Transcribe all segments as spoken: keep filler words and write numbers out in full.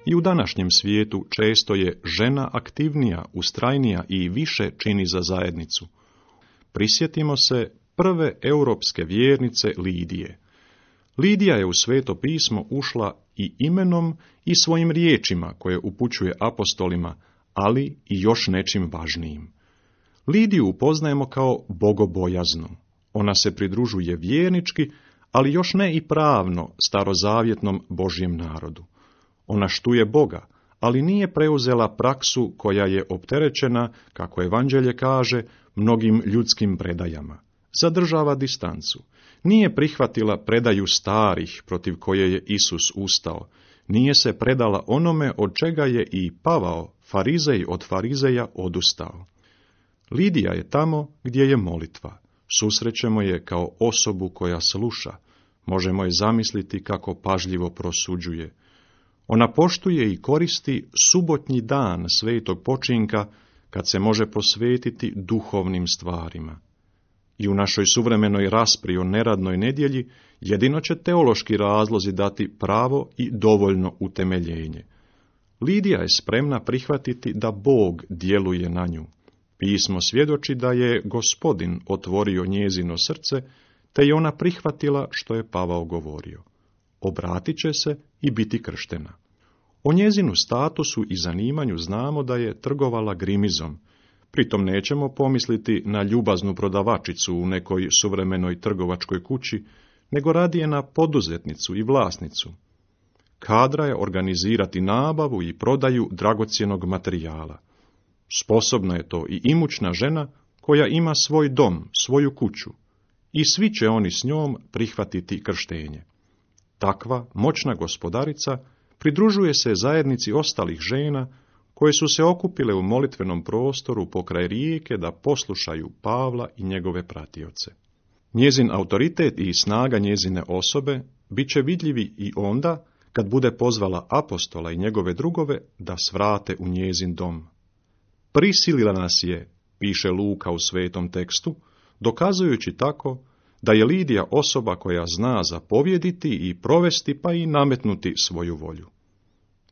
I u današnjem svijetu često je žena aktivnija, ustrajnija i više čini za zajednicu. Prisjetimo se prve europske vjernice Lidije. Lidija je u Sveto pismo ušla i imenom i svojim riječima koje upućuje apostolima, ali i još nečim važnijim. Lidiju upoznajemo kao bogobojaznu. Ona se pridružuje vjernički, ali još ne i pravno starozavjetnom Božjem narodu. Ona štuje Boga, ali nije preuzela praksu koja je opterećena, kako evanđelje kaže, mnogim ljudskim predajama. Zadržava distancu. Nije prihvatila predaju starih protiv koje je Isus ustao. Nije se predala onome od čega je i Pavao, farizej od farizeja, odustao. Lidija je tamo gdje je molitva. Susrećemo je kao osobu koja sluša. Možemo je zamisliti kako pažljivo prosuđuje. Ona poštuje i koristi subotnji dan svetog počinka kad se može posvetiti duhovnim stvarima. I u našoj suvremenoj raspravi o neradnoj nedjelji jedino će teološki razlozi dati pravo i dovoljno utemeljenje. Lidija je spremna prihvatiti da Bog djeluje na nju. Pismo svjedoči da je Gospodin otvorio njezino srce, te je ona prihvatila što je Pavao govorio. Obratit će se i biti krštena. O njezinu statusu i zanimanju znamo da je trgovala grimizom. Pritom nećemo pomisliti na ljubaznu prodavačicu u nekoj suvremenoj trgovačkoj kući, nego radije na poduzetnicu i vlasnicu. Kadra je organizirati nabavu i prodaju dragocjenog materijala. Sposobna je to i imućna žena koja ima svoj dom, svoju kuću, i svi će oni s njom prihvatiti krštenje. Takva moćna gospodarica pridružuje se zajednici ostalih žena koje su se okupile u molitvenom prostoru pokraj rijeke da poslušaju Pavla i njegove pratioce. Njezin autoritet i snaga njezine osobe bit će vidljivi i onda kad bude pozvala apostola i njegove drugove da svrate u njezin dom. Prisilila nas je, piše Luka u svetom tekstu, dokazujući tako da je Lidija osoba koja zna zapovjediti i provesti pa i nametnuti svoju volju.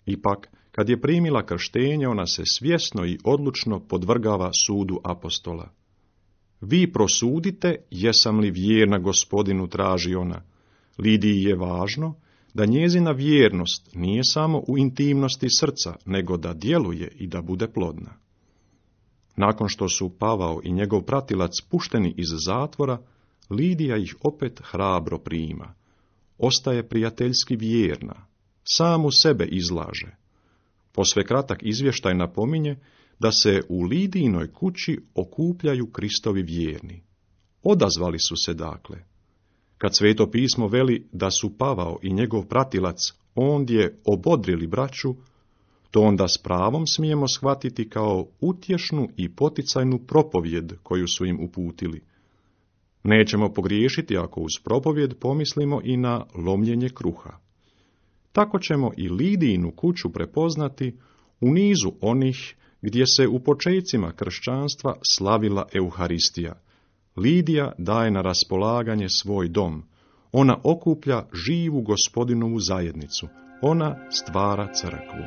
Ipak, kad je primila krštenje, ona se svjesno i odlučno podvrgava sudu apostola. Vi prosudite, jesam li vjerna Gospodinu, traži ona. Lidiji je važno da njezina vjernost nije samo u intimnosti srca, nego da djeluje i da bude plodna. Nakon što su Pavao i njegov pratilac pušteni iz zatvora, Lidija ih opet hrabro prima. Ostaje prijateljski vjerna, samu sebe izlaže. Posve kratak izvještaj napominje da se u Lidijinoj kući okupljaju Kristovi vjerni. Odazvali su se dakle. Kad Sveto pismo veli da su Pavao i njegov pratilac ondje obodrili braću, to onda s pravom smijemo shvatiti kao utješnu i poticajnu propovjed koju su im uputili. Nećemo pogriješiti ako uz propovjed pomislimo i na lomljenje kruha. Tako ćemo i Lidijinu kuću prepoznati u nizu onih gdje se u počecima kršćanstva slavila Euharistija. Lidija daje na raspolaganje svoj dom. Ona okuplja živu Gospodinovu zajednicu. Ona stvara crkvu.